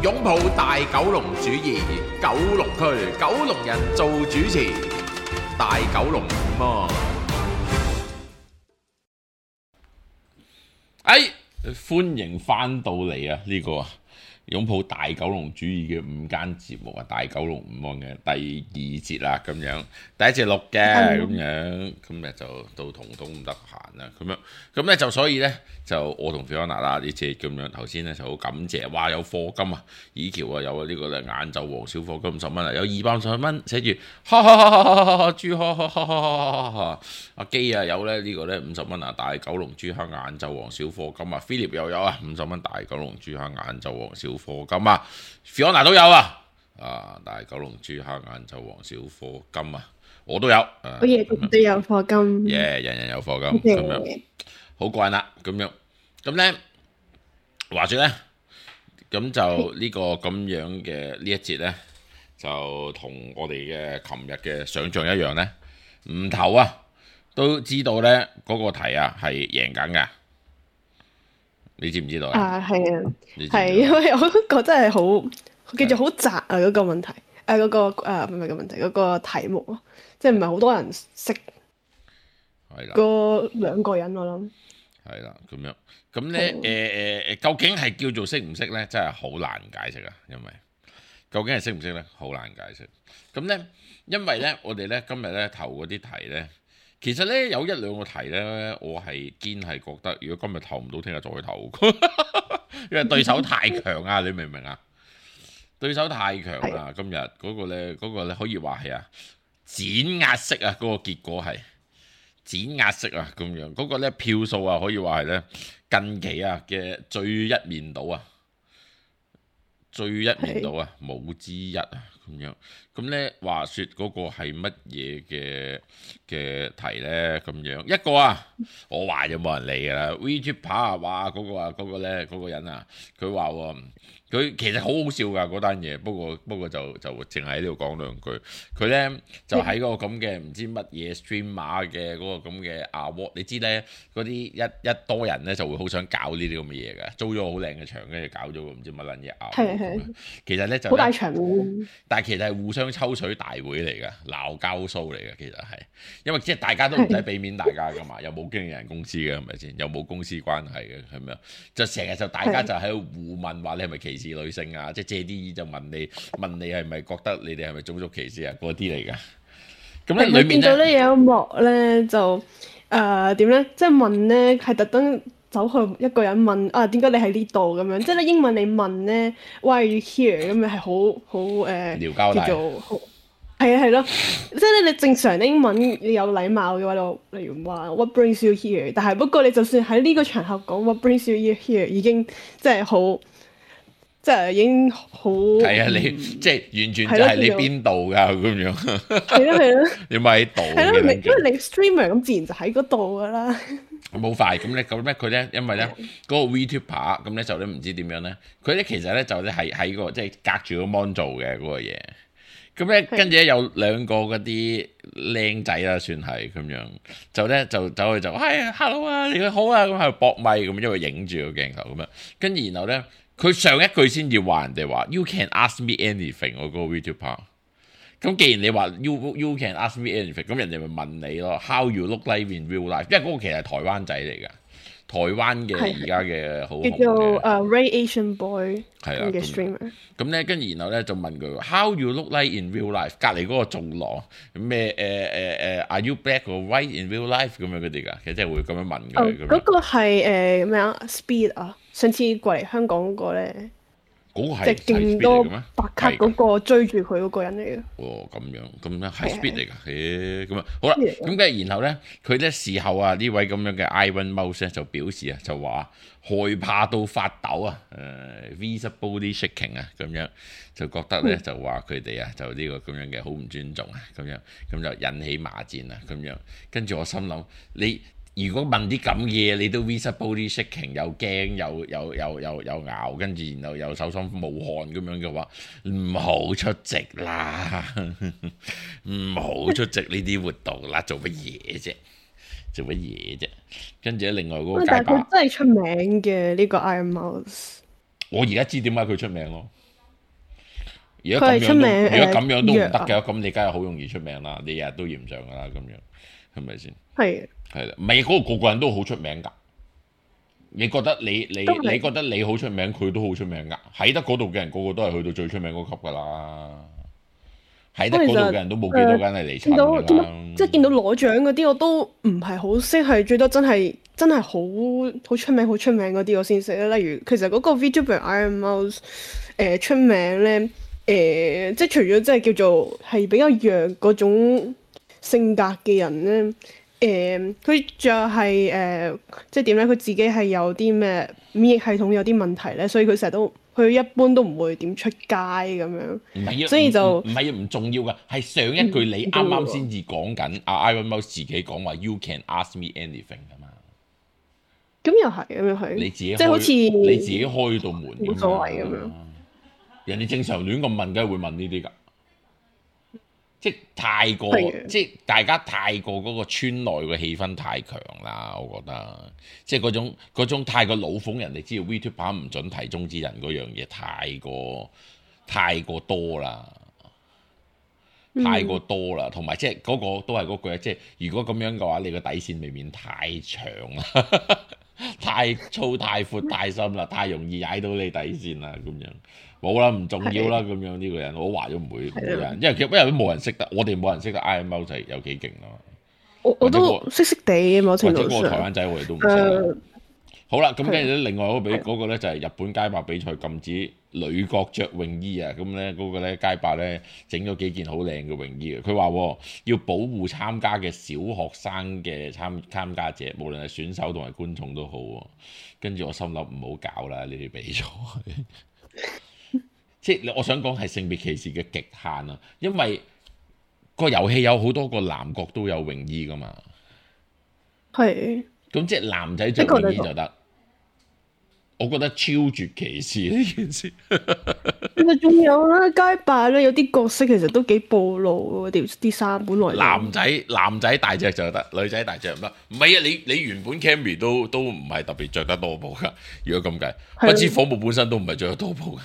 擁抱大九龍主義，九龍區九龍人做主持，大九龍麼？歡迎翻到嚟啊！呢個擁抱大九龍主義嘅午間節目啊，大九龍午安嘅第二節啦，咁樣第一節錄嘅咁樣，今日就到彤彤唔得閒啦，咁咧就所以咧就我同 Fiona 啦呢節咁樣，頭先咧就好感謝，哇有課金啊，以橋啊有呢個咧晏晝黃小課金50蚊啊，有250蚊寫住哈哈哈哈哈哈豬哈哈哈哈哈，阿基啊有咧呢個咧50蚊啊，大九龍豬蝦晏晝黃小課金啊 ，Philip 又有啊50蚊大九龍豬蝦晏晝黃小課金啊 ，Fiona 都有啊。大九龍豬蝦晏晝黃小課金啊，我都有。好嘢，都有課金。人人有課金咁樣，好慣啦咁樣。咁咧話説咧，咁就呢個咁樣嘅呢一節咧，就同我哋嘅琴日嘅想像一樣咧，唔投啊，都知道咧嗰個題啊係贏緊㗎。你知唔知道啊？係啊，係因為我嗰個真係好。叫做好窄啊！嗰個問題，嗰個唔係個問題，嗰個題目啊，即係唔係好多人識。係啦。嗰兩個人我諗。係啦，咁樣，咁咧究竟係叫做識唔識咧？真係好難解釋啊！因為究竟係識唔識咧，好難解釋。咁咧，因為咧，我哋咧今日咧投嗰啲題咧，其實咧有一兩個題咧，我係堅係覺得，如果今日投唔到，聽日再投，因為對手太強啊！你明唔明啊？對手太強啦！今日嗰個咧可以話係啊，碾壓式啊！嗰個結果係碾壓式啊！咁樣嗰個咧票數啊，可以話係咧近期啊嘅最一面倒啊，最一面倒啊，冇之一啊！咁樣咁咧話説嗰個係乜嘢嘅題咧？咁樣一個啊，我話就冇人理㗎啦。VTuber 啊，話嗰個咧嗰個人啊，佢話喎。佢其實好好笑㗎嗰單嘢，不過就淨係喺呢度講兩句。佢咧就喺嗰個咁嘅唔知乜嘢 streamer 嘅嗰個咁嘅 award，你知咧嗰啲一多人咧就會好想搞呢啲咁嘅嘢㗎，租咗好靚嘅場，跟住搞咗個唔知乜撚嘢 award。係。其實咧就好大場喎。但係其實係互相抽水大會嚟㗎，鬧交 show 嚟㗎，其實係，因為即係大家都唔使俾面大家㗎嘛，又冇經紀人公司嘅係咪先，又冇公司關係嘅係咪啊？就成日就大家就喺度互問話你係咪歧視女性啊？即係借啲意就問你係咪覺得你哋係咪種族歧視啊？嗰啲嚟㗎。咁咧裏面咧，見到咧有一幕咧就點咧，即係問咧係特登走去一個人問啊，點解你喺呢度咁樣？即係咧英文你問咧 Why are you here 咁樣係好聊交叫做好係啊係咯，即係咧你正常英文你有禮貌嘅話，就例如話 What brings you here？ 但係不過你就算喺呢個場合講 What brings you here 已經即係好。即係已經好係啊！你即係完全就係你邊度㗎咁樣？係咯係咯，你咪喺度嘅。因為你 streamer 咁自然就喺嗰度㗎啦。冇快咁咧，佢咧，因為咧嗰個 VTuber 咁咧就咧唔知點樣咧，佢咧其實咧就咧係喺個即係隔住個 mon 做嘅嗰個嘢。咁咧跟住咧有兩個嗰啲靚仔啦，算係咁樣，就咧就走去就hello 啊，你好啊，咁喺度搏咪咁，因為影住個鏡頭咁樣，跟住然後咧。佢上一句先至話人哋話 You can ask me anything 我嗰個 VTuber， 咁既然你話 you can ask me anything， 咁人哋咪問你咯 How you look like in real life， 因為嗰個其實係台灣仔嚟㗎，台灣嘅而家嘅好紅嘅叫做Ray Asian Boy 嘅 streamer。咁咧跟住然後咧就問佢 How you look like in real life， 隔離嗰個仲狼咩Are you black or white in real life 咁樣嗰啲㗎，其實即係會咁樣問佢。嗰個係咩啊 Speed 啊？上次過嚟香港嗰個咧，嗰個係勁多白卡嗰個追住佢嗰個人嚟嘅。哦，咁樣係 Speed 嚟㗎，咁啊好啦，咁跟住然後咧，佢咧事後啊呢位咁樣嘅 Ivan Mouse 咧就表示啊，就話害怕到發抖啊，visible shaking 啊，咁樣就覺得咧就話佢哋啊就呢個咁樣嘅好唔尊重啊，咁就引起罵戰啊，咁樣跟住我心諗你。如果問啲咁嘅嘢，你都 visible shaking 又驚又咬，跟住然後又手心冒汗咁樣嘅話，唔好出席啦，唔好出席呢啲活動啦，做乜嘢啫？做乜嘢啫？跟住咧，另外嗰個街霸，但係佢真係出名嘅呢個 Iron Mouse。我而家知點解佢出名咯。如果咁樣佢係出名都唔得弱嘅，咁你梗係好容易出名啦，你日日都染上噶啦，咁樣係咪先？係係啦，唔係嗰個個人都好出名㗎。你覺得你覺得你好出名，佢都好出名㗎。喺得嗰度嘅人個個都係去到最出名嗰級㗎啦。喺得嗰度嘅人都冇幾多間係嚟親㗎啦。即係見到攞獎嗰啲，我都唔係好識，係最多真係好出名嗰啲我先識啦。例如其實嗰個 VTuber Iron Mouse 出名咧，即係除咗即係叫做係比較弱嗰種性格嘅人咧。佢仲係即係點咧？佢自己係有啲咩免疫系統有啲問題咧，所以佢成日都佢一般都唔會點出街咁樣。唔係啊，所以就唔係唔重要㗎，係上一句你啱啱先至講緊阿 Iron Mouse 自己講話 You can ask me anything 㗎嘛。咁又係，你自己即係好似你自己開到門冇所謂咁樣。人哋正常亂咁問，梗係會問呢啲㗎。即係太過，即係大家太過嗰個村內嘅氣氛太強啦，我覺得。即係嗰種太過老諷人哋知道 VTuber 唔準提中之人嗰樣嘢，太過多啦，太過多啦。同埋即係嗰個都係嗰句，即係如果咁樣嘅話，你個底線未免太長啦，太粗、太闊、太深啦，太容易踩到你底線啦，咁樣。冇啦，唔重要啦，咁樣呢個人，我話咗唔會有人，因為都冇人識得，我哋冇人識得 Iron Mouse 係有幾勁咯。我都識地某程度上。或者個台灣仔我哋都唔識。好啦，咁跟住咧，另外嗰個咧就係日本街霸比賽禁止女角着泳衣啊，咁咧嗰個咧街霸咧整咗幾件好靚嘅泳衣嘅，佢話要保護參加嘅小學生嘅參加者，無論係選手同埋觀眾都好。跟住我心諗唔好搞啦呢啲比賽。即係我想講係性別歧視嘅極限啊，因為個遊戲有好多個男角都有泳衣噶嘛，係。咁即係男仔着泳衣就得，我覺得超絕歧視呢件事。其實仲有啦，街霸咧有啲角色其實都幾暴露喎，啲衫本來。男仔大隻就得，女仔大隻唔得。唔係啊，你原本 Cammy 都唔係特別着得多布噶，如果咁計，不知火舞本身都唔係着得多布噶。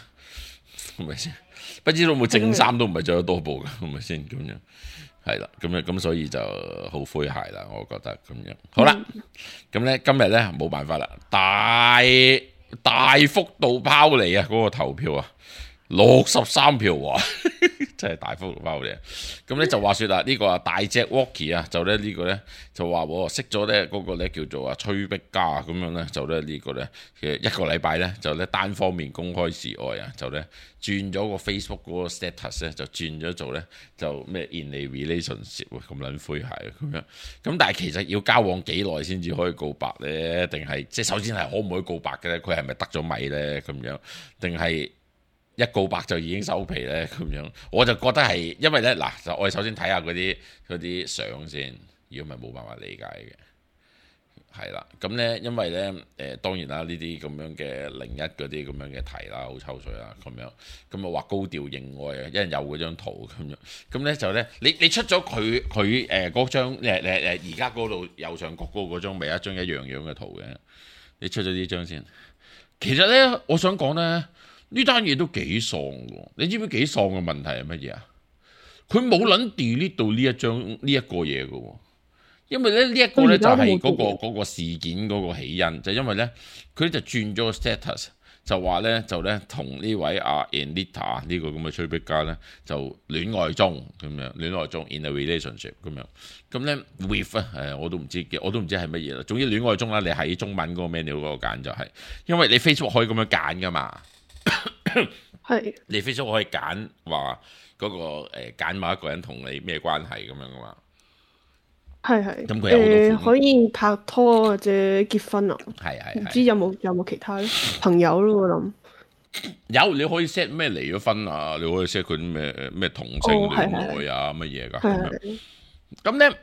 係咪先？不知道冇正衫都唔係着得多布嘅，係咪先？咁樣係啦，咁所以就好詼諧啦，我覺得咁樣。好啦，咁咧今日咧冇辦法啦，大幅度拋離啊！嗰個投票啊，63票喎，真係大幅度拋離。咁咧就話説啦，呢個啊大隻 Walkie 啊，就咧呢個咧就話識咗咧嗰個咧叫做啊崔碧嘉咁樣咧，就咧呢個咧嘅一個禮拜咧就咧單方面公開示愛啊，就咧轉咗個 Facebook 嗰個 status 咧就轉咗做咧就咩 in a relationship 咁撚詼諧啊咁樣。咁但係其實要交往幾耐先至可以告白咧？定係即係首先係可唔可以告白嘅咧？佢係咪得咗米咧？咁樣定係？一告白就已經收皮咧，咁樣我就覺得係，因為咧嗱，就我哋首先睇下嗰啲相先，如果唔係冇辦法理解嘅，係啦，咁咧因為咧當然啦，呢啲咁樣嘅01嗰啲咁樣嘅題啦，好抽水啦，咁樣咁啊話高調認愛啊，一人有嗰張圖咁樣，咁咧就咧你出咗佢嗰張而家嗰度右上角嗰張咪一張一樣嘅圖嘅，你出咗呢張先，其實咧我想講咧。呢單嘢都幾喪喎！你知唔知幾喪嘅問題係乜嘢啊？佢冇撚 delete 到呢一個嘢嘅喎，因為咧呢一個咧就係嗰個事件嗰個起因，就因為咧佢就轉咗個 status，就話咧就咧同呢位阿 Anita 呢個咁嘅崔碧嘉咧就戀愛中咁樣，戀愛中 in a relationship 咁樣，咁咧 with 我都唔知係乜嘢啦。總之戀愛中啦，你喺中文嗰個 menu 嗰個揀就係，因為你 Facebook 可以咁樣揀噶嘛。係你 Facebook 可以揀話嗰個揀某一個人同你咩關係咁樣噶嘛？係咁佢有好多可以拍拖或者結婚啊？係唔知有冇其他咧？朋友咯，我諗有你可以 set 咩離咗婚啊？你可以 set 佢咩同性戀愛啊乜嘢噶？咁咧，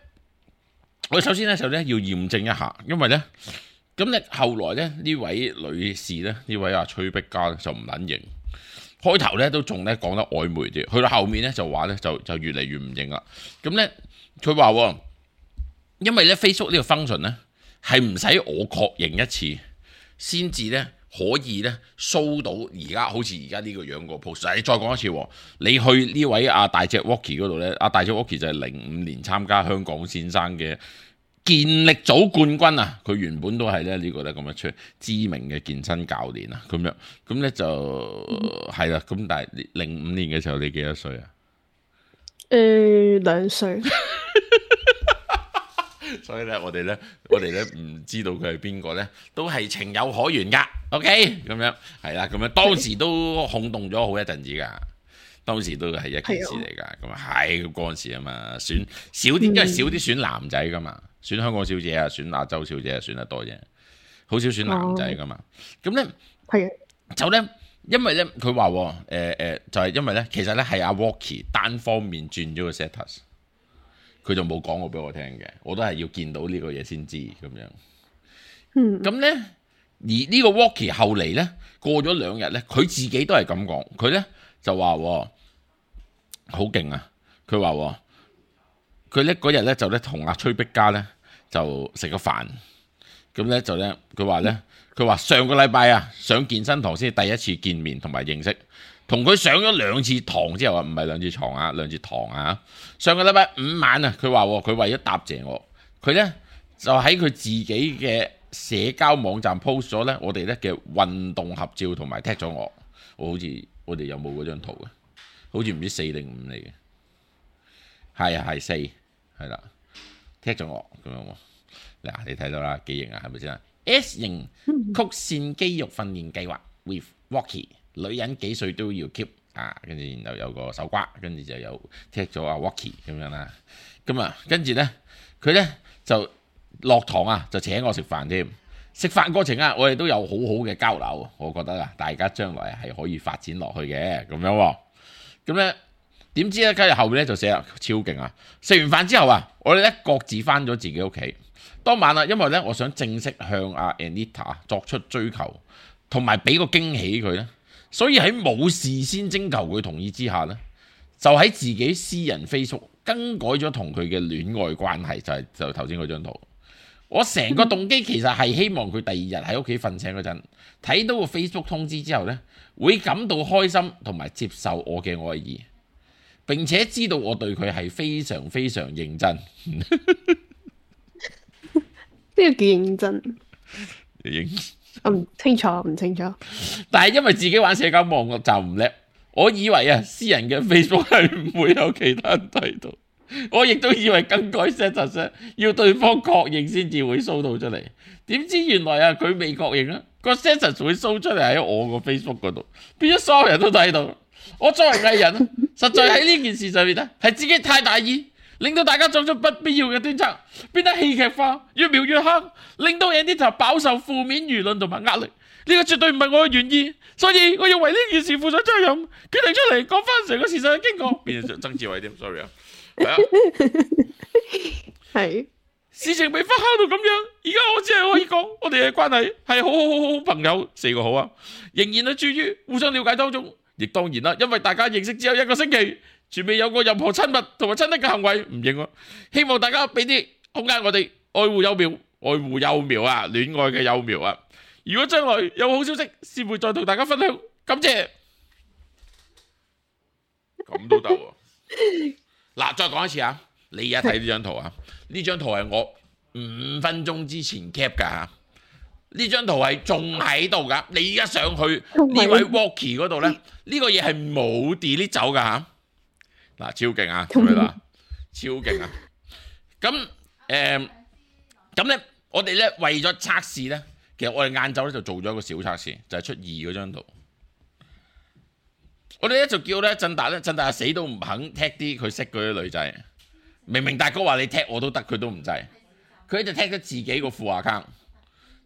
我首先咧就咧要驗證一下，因為咧。咁咧，後來咧呢位女士咧，呢位阿崔碧嘉就唔撚認，開頭咧都仲咧講得曖昧啲，去到後面咧就話咧就越嚟越唔認啦。咁咧佢話，因為咧 Facebook 呢個 function 咧係唔使我確認一次，先至咧可以咧 show 到而家好似而家呢個樣個 post。你再講一次喎，你去呢位阿大隻 Walkie 嗰度咧，阿大隻 Walkie 就係05年參加香港先生嘅健力組冠軍啊！佢原本都係咧呢個咧咁樣出知名嘅健身教練啊，咁樣咁咧就係啦。咁但係05年嘅時候你幾多歲啊？2歲。所以咧，我哋咧唔知道佢係邊個咧，都係情有可原噶。OK， 咁樣係啦，咁樣當時都轟動咗好一陣子噶，當時都係一件事嚟噶。咁啊係嗰陣時啊嘛，選少啲，因為少啲選男仔噶嘛，選香港小姐啊，選亞洲小姐啊，選得多啫，好少選男仔噶嘛。咁咧係就咧，因為咧佢話就係因為咧，其實咧係阿 Walkie 單方面轉咗個 status。佢就冇講過俾我聽嘅，我都係要見到呢個嘢先知咁樣。咁咧，而呢個 Walkie 後嚟咧過咗2日咧，佢自己都係咁講，佢咧就話好勁啊！佢話佢咧嗰日咧就咧同阿崔碧嘉咧就食個飯，咁咧就咧佢話上個禮拜啊上健身堂先第一次見面同埋認識。同佢上咗2次堂之後啊，唔係2次床啊，2次堂啊。上個禮拜5晚啊，佢話佢為咗答謝我，佢咧就喺佢自己嘅社交網站 post 咗咧我哋咧嘅運動合照同埋 tag 咗我。好似我哋有冇嗰張圖嘅？好似唔知4定5嚟嘅，係4，係啦 tag 咗我咁樣喎。嗱，你睇到啦，幾型啊，係咪先啊 ？S 型曲線肌肉訓練計劃 with Walkie。女人幾歲都要 keep 啊，跟住然後有個手瓜，跟住就有踢咗阿 Walkie 咁樣啦。咁啊，跟住咧，佢咧就落堂啊，就請我食飯添。食飯過程啊，我哋都有好好嘅交流。我覺得啊，大家將來係可以發展落去嘅咁樣喎。咁咧點知咧，跟住後面咧就寫啦，超勁啊！食完飯之後啊，我哋咧各自翻咗自己屋企。當晚啊，因為咧我想正式向阿 Anita 作出追求，同埋俾個驚喜佢咧。所以喺冇事先徵求佢同意之下呢，就喺自己私人 Facebook 更改咗同佢嘅戀愛關係，就頭先嗰張圖。我成個動機其實係希望佢第2日喺屋企瞓醒嗰陣，睇到個 Facebook 通知之後呢，會感到開心同埋接受我嘅愛意，並且知道我對佢係非常非常認真。呢個幾認真？唔清楚，但係因為自己玩社交網絡就唔叻，我以為啊私人嘅 Facebook 係唔會有其他人睇到，我亦都以為更改 status 要對方確認先至會 show 到出嚟，點知原來啊佢未確認啊，個 status 會 show 出嚟喺我個 Facebook 嗰度，變咗所有人都睇到。我作為藝人啊，實在喺呢件事上面咧係自己太大意，令到大家作出不必要嘅端測，變得戲劇化，越描越黑，令到 Anita 飽受負面輿論同埋壓力。呢個絕對唔係我嘅原意，所以我要為呢件事負上責任，決定出嚟講翻成個事實嘅經過。變咗曾志偉添 ，sorry 啊，係啊，係事情被發酵到咁樣，而家我只係可以講，我哋嘅關係係好朋友，4個好啊，仍然係處於互相了解當中，亦當然啦，因為大家認識只有1個星期。仲未有過任何親密同埋親昵嘅行為，唔認喎。希望大家俾啲空間我哋愛護幼苗，愛護幼苗啊，戀愛嘅幼苗啊。如果將來有好消息，先會再同大家分享。感謝。咁都得喎。嗱，再講一次啊，你而家睇呢張圖啊，呢張圖係我5分鐘之前 cap 㗎嚇。呢張圖係仲喺度㗎，你而家上去呢位 Walkie 嗰度咧，呢個嘢係冇 delete 走㗎嚇。嗱，超勁啊，係咪啦？超勁啊！咁咧，我哋咧為咗測試咧，其實我哋晏晝咧就做咗一個小測試，就係出2嗰張圖。我哋咧就叫咧振達死都唔肯踢啲佢識嗰啲女仔，明明大哥話你踢我都得，佢都唔制，佢就踢咗自己個副 account。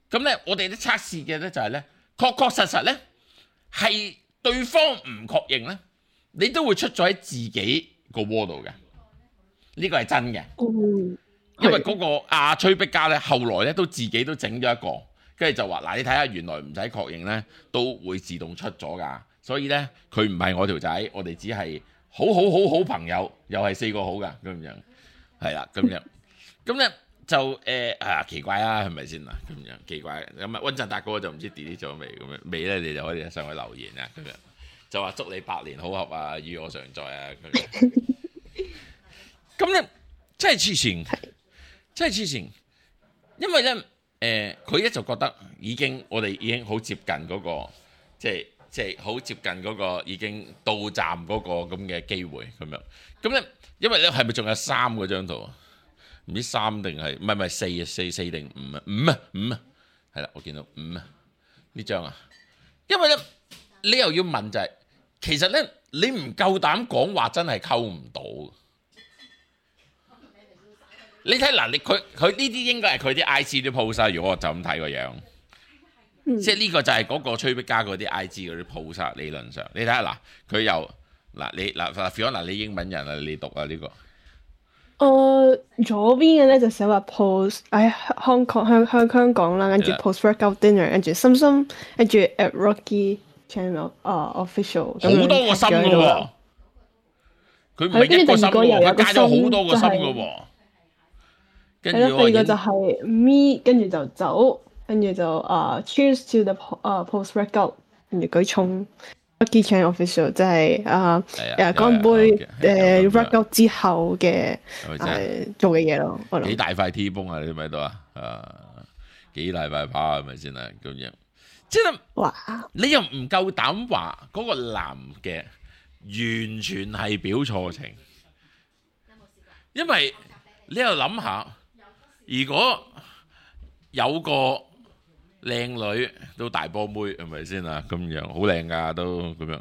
咁咧，我哋咧測試嘅咧就係咧，確實咧係對方唔確認咧。你都會出咗喺自己個窩度嘅，呢個係真嘅。因為嗰個阿崔碧嘉咧，後來咧都自己都整咗一個，跟住就話嗱，你睇下原來唔使確認咧，都會自動出咗噶。所以咧，佢唔係我條仔，我哋只係好朋友，又係4個好噶咁樣，係啦咁樣。咁咧奇怪啊，係咪先啊？咁樣奇怪咁啊，溫振達嗰個就唔知 delete 咗未咁樣，未咧你就可以上去留言啊，咁樣就話祝你百年好合啊，與我常在啊，咁樣。咁咧真係黐線，真係黐線，因為咧佢一就覺得我哋已經好接近嗰個，即係好接近嗰個已經到站嗰個咁嘅機會咁樣。咁咧，因為咧係咪仲有3嗰張圖啊？唔知3定係唔係4定5啊？5啊，係啦，我見到5啊呢張啊。因為咧，你又要問就係、其實咧你唔夠膽講話，真係溝唔到。你睇嗱，佢呢啲應該係佢啲 I G 啲 post 啊。如果我就咁睇個樣，即係呢個就係嗰個崔碧嘉嗰啲 I G 嗰啲 post 啊。理論上，你睇下嗱，佢又Fiona 你英文人啊，你讀啊呢個。左邊嘅咧就寫話 post 香港啦，跟住 post workout dinner， 跟住心，跟住 at Rocky channel official 好多個心嘅喎，佢唔係一個心嘅喎，佢加咗好多個心嘅喎。係咯，第二個就係 me， 跟住就走，跟住就cheers to the post workout， 跟住舉重 Rocky channel official， 即係乾杯workout 之後嘅做嘅嘢咯。幾大塊 T 崩啊！你睇到啊？幾大塊扒係咪先啊？咁樣即係哇！你又唔夠膽話嗰個男嘅完全係表錯情，因為你又諗下。如果有個靚女都大波妹係咪先啊？咁樣好靚㗎都咁樣。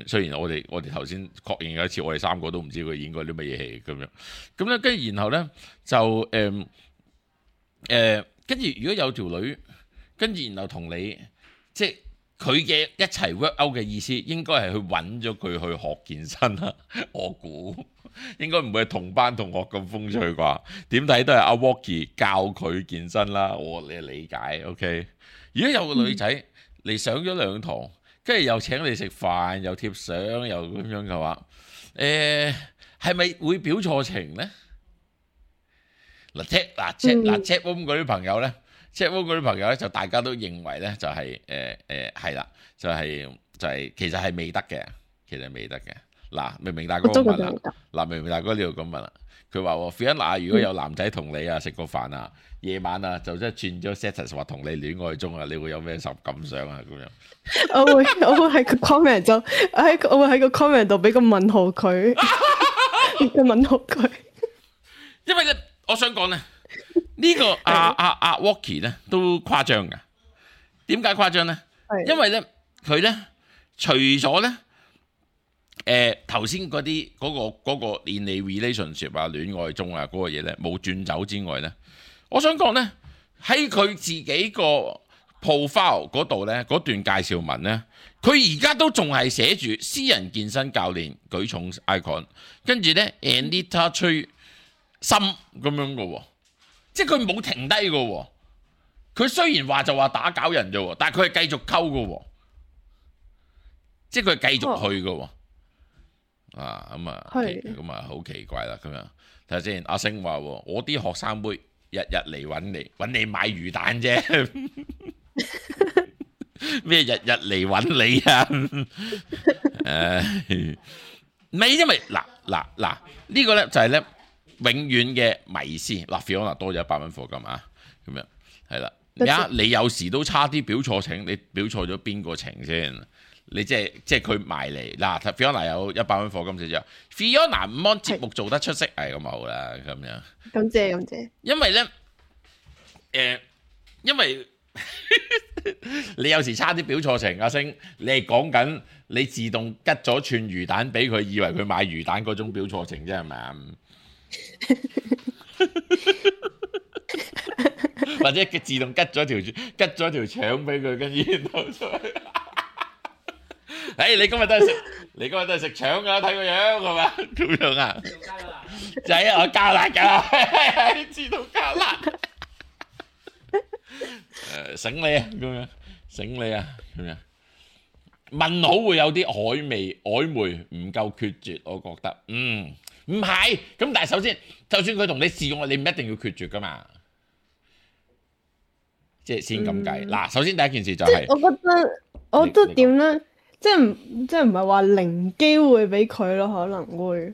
雖然我哋頭先確認有一次，我哋3個都唔知佢演過啲乜嘢戲咁樣。咁咧跟住然後咧就跟住如果有條女跟住然後同你即係佢嘅一齊 work out 嘅意思，應該係去揾咗佢去學健身啦。我估。應該唔會係同班同學咁風趣啩？點睇都係阿 Walkie 教佢健身啦。你理解 OK？ 如果有個女仔嚟上咗2堂，跟住又請你食飯，又貼相，又咁樣嘅話，係咪會表錯情呢？chat room 嗰啲朋友呢 chat room 嗰啲朋友呢，就大家都認為呢，就係係啦，就係其實係未得嘅，其實未得嘅。嗱，明明大哥問啦，明明大哥呢度咁問啦，佢話 Fiona 如果有男仔同你食個飯啊，夜晚就即係轉咗 status 話同你戀愛中啊，你會有咩感想啊？咁樣我會喺個 comment 我會喺個 comment 度俾個問號佢，個問號佢。因為咧，我想講咧，呢個阿 Walkie 咧都誇張噶。點解誇張咧？因為咧佢咧除咗咧。頭先嗰啲嗰個 in a relationship 戀愛中嗰個嘢咧冇轉走之外咧，我想講咧喺佢自己個 profile 嗰度咧嗰段介紹文咧，佢而家都仲係寫住私人健身教練舉重 icon， 跟住咧 Anita 崔心咁樣嘅喎，即係佢冇停低嘅喎。佢雖然話就話打攪人啫，但係佢係繼續溝嘅喎，即係佢係繼續去嘅喎。咁啊好奇怪啦咁樣。睇下先，阿星話我啲學生妹日日嚟揾你買魚蛋啫，咩日日嚟揾你啊？唔係因為嗱呢個咧就係咧永遠嘅迷思。Fiona 多咗100蚊課金啊，咁樣係啦。你有時都差啲表錯情，你表錯咗邊個情先？你即係佢埋嚟嗱 ，Fiona 有100蚊課金先啫。Fiona 唔按節目做得出色，係咁好啦，咁樣。感謝。因為咧，因為你有時差啲表錯情，阿星，你係講緊你自動吉咗串魚蛋俾佢，以為佢買魚蛋嗰種表錯情啫，係咪啊？或者自動吉咗條腸俾佢，跟住然後再。你今日都係食腸噶，睇個樣係嘛？咁樣啊？就係我加辣噶，知道加辣。醒你啊，咁樣醒你啊，咁樣問好會有啲曖昧，唔夠決絕，我覺得，唔係咁。但係首先，就算佢同你試過，你唔一定要決絕噶嘛。即係先咁計。嗱，首先第一件事就係、即係我覺得點咧，即係唔係話零機會俾佢咯，可能會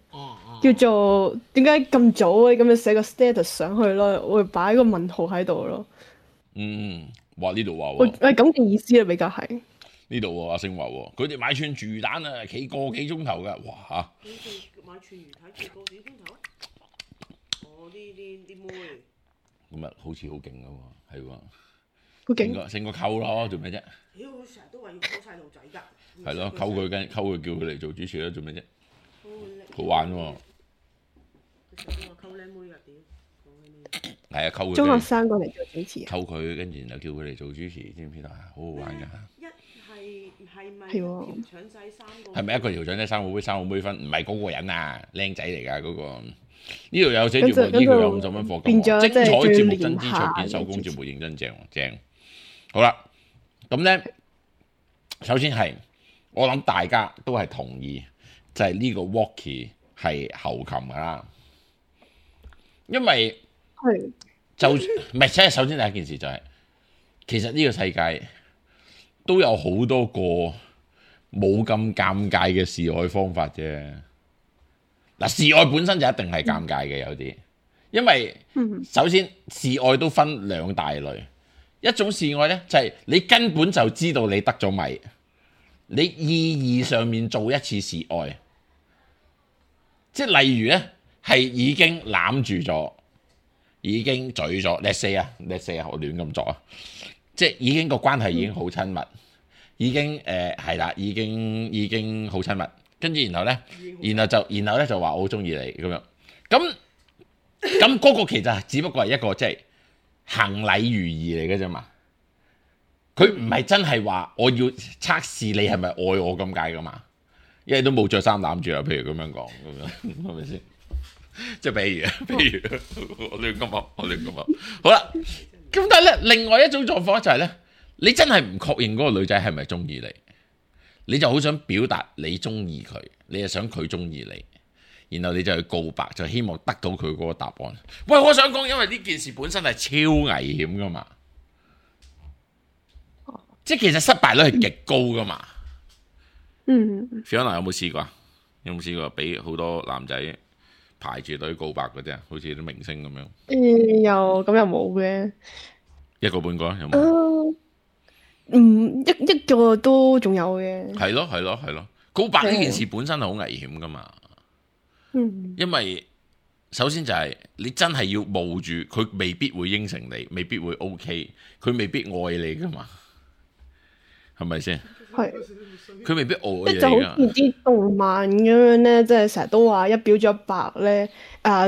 叫做點解咁早咁樣寫個 status 上去咯，會擺個問號喺度咯。哇呢度話喂咁嘅意思啊，比較係呢度喎，阿星話喎，佢哋買串住魚蛋啊，企個幾鐘頭㗎，哇嚇！你哋買串魚蛋企個幾鐘頭？哦，啲妹。咁啊，好似好勁㗎喎，係喎，好勁，勝過溝咯，做咩啫？屌，佢成日都話要溝細路仔㗎。係咯，溝佢叫佢嚟做主持啦，做咩啫？好玩喎！佢成日都話溝靚妹㗎，屌！係啊，溝佢中學生過嚟做主持，溝佢，跟住然後叫佢嚟做主持，知唔知道啊？好好玩㗎！係咪係喎腸仔三個？係咪一個條腸仔三個妹分？唔係嗰個人啊，僆仔嚟㗎嗰個。呢度有寫住喎，呢度有50蚊課金喎。精彩節目真知灼見，手工節目認真正。好啦，咁咧，首先係我諗大家都係同意，就係呢個 Walkie 係後琴㗎啦，因為係就唔係即係首先第一件事就係、其實呢個世界都有好多個冇咁尷尬嘅示愛方法啫。嗱，示愛本身就一定係尷尬嘅，有啲，因為首先示愛都分兩大類，一種示愛呢，就係、你根本就知道你得咗米，你意義上面做一次示愛，即係例如呢，係已經攬住咗，已經嘴咗，let's say 啊，我亂咁作啊，即係已經個關係已經好親密，已經係啦，已經好親密。跟住然後咧就話我好中意你咁樣，咁嗰個其實只不過係一個即係行禮如儀嚟嘅啫嘛，佢唔係真係話我要測試你係咪愛我咁解噶嘛，因為都冇着衫攬住啊，譬如咁樣講咁樣，係咪先？即係譬如我亂咁噏，好啦，咁但係咧另外一種狀況就係咧，你真係唔確認嗰個女仔係咪中意你。你就好想表達你中意佢，你又想佢中意你，然後你就去告白，就希望得到佢嗰個答案。喂，我想講，因為呢件事本身係超危險噶嘛，即係其實失敗率係極高噶嘛。Fiona 有冇試過？有冇試過俾好多男仔排住隊告白嗰啲啊？好似啲明星咁樣。又冇嘅，一個半個有冇？一個都仲有嘅。係咯，告白呢件事本身係好危險噶嘛。因為首先就係你真係要冒住佢未必會應承你，未必會 OK， 佢未必愛你噶嘛，係咪先？係。佢未必愛你㗎。即係就好似啲動漫咁樣咧，即係成日都話一表咗白咧，